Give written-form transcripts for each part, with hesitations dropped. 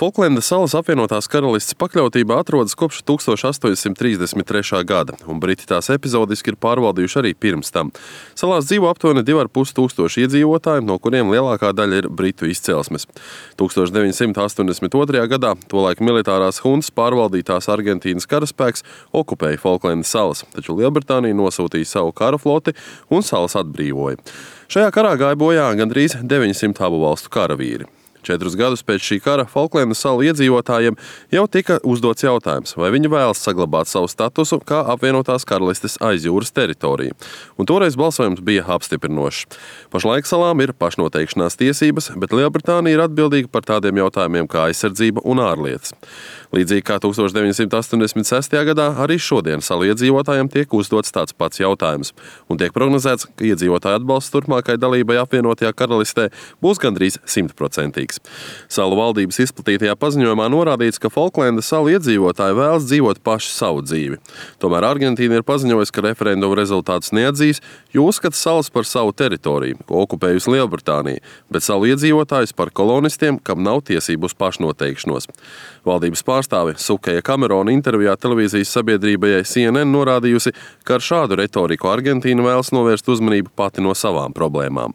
Folklendas salas apvienotās karalistes pakļautībā atrodas kopš 1833. gada, un Briti tās epizodiski ir pārvaldījuši arī pirms tam. Salās dzīvo aptuveni 2,5 tūkstoši iedzīvotāji, no kuriem lielākā daļa ir britu izcelsmes. 1982. gadā tolaik militārās huntas pārvaldītās Argentīnas karaspēks okupēja Folklendas salas, taču Lielbritānija nosūtīja savu kara floti un salas atbrīvoja. Šajā karā gāja bojā gandrīz 900 abu valstu karavīri. 4 gadus pēc šī kara Folklendas salu iedzīvotājiem jau tika uzdots jautājums, vai viņi vēlas saglabāt savu statusu kā apvienotās karalistes aizjūras teritoriju. Un toreiz balsojums bija apstiprinošs. Pašlaik salām ir pašnoteikšanās tiesības, bet Lielbritānija ir atbildīga par tādiem jautājumiem kā aizsardzība un ārlietas. Līdzīgi kā 1986. gadā, arī šodien salu iedzīvotājiem tiek uzdots tāds pats jautājums. Un tiek prognozēts, ka iedzīvotāju atbalsts turpmākai dalībai apvienotajā karalistē būs gandrīz 100%. Salu valdības izplatītajā paziņojumā norādīts, ka Folklendas salu iedzīvotāji vēlas dzīvot paši savu dzīvi. Tomēr Argentīna ir paziņojusi, ka referenduma rezultātus neatzīs, jo uzskata salas par savu teritoriju, ko okupējusi Lielbritānija, bet salu iedzīvotājus par kolonistiem, kam nav tiesību uz pašnoteikšanos. Valdības pārstāve Sukeja Kamerona intervijā televīzijas sabiedrībai CNN norādījusi, ka ar šādu retoriku Argentīna vēlas novērst uzmanību pati no savām problēmām.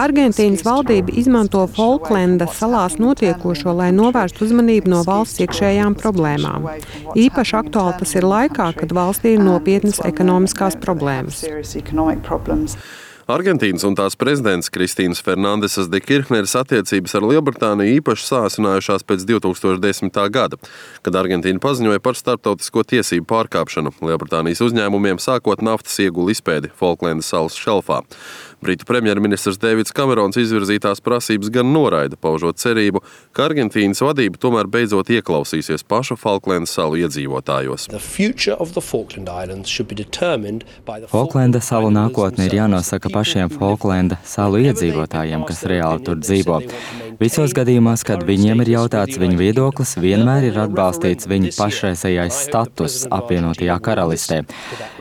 Argentīnas valdība izmanto Folklendas salās notiekošo, lai novērstu uzmanību no valsts iekšējām problēmām. Īpaši aktuāli tas ir laikā, kad valstī ir nopietnas ekonomiskās problēmas. Argentīnas un tās prezidents Kristīnas Fernandesas de Kirchneres attiecības ar Lielbritāniju īpaši sāsinājušās pēc 2010. gada, kad Argentīna paziņoja par starptautisko tiesību pārkāpšanu Lielbritānijas uzņēmumiem sākot naftas iegulu izpēdi Folklendas salas šelfā. Britu premjerministrs Deivids Kamerons izvirzītās prasības gan noraida, paužot cerību, ka Argentīnas vadība tomēr beidzot ieklausīsies pašu Folklendas salu iedzīvotājos. Folklendas salu nākotne ir jānosaka pašiem Folklenda salu iedzīvotājiem, kas reāli tur dzīvo. Visos gadījumos, kad viņiem ir jautāts viņu viedoklis, vienmēr ir atbalstīts viņu pašreizējais status apvienotajā karalistē.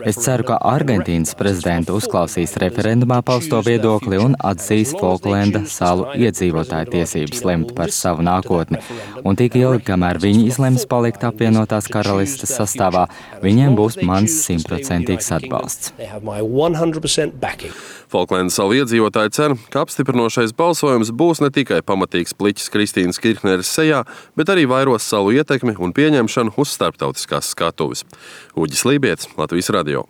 Es ceru, ka Argentīnas prezidenta uzklausīs referendumā pausto viedokli un atzīs Folklenda salu iedzīvotāju tiesības lemt par savu nākotni. Un tik ilgi, kamēr viņi izlems palikt apvienotās karalistes sastāvā, viņiem būs mans 100% atbalsts. Folklendas salu iedzīvotāji cer, ka apstiprinošais balsojums būs ne tikai pamatīgs pliķis Kristīnas Kirchneres sejā, bet arī vairos salu ietekmi un pieņemšanu uz starptautiskās skatuves. Uģis Lībietis, Latvijas radio.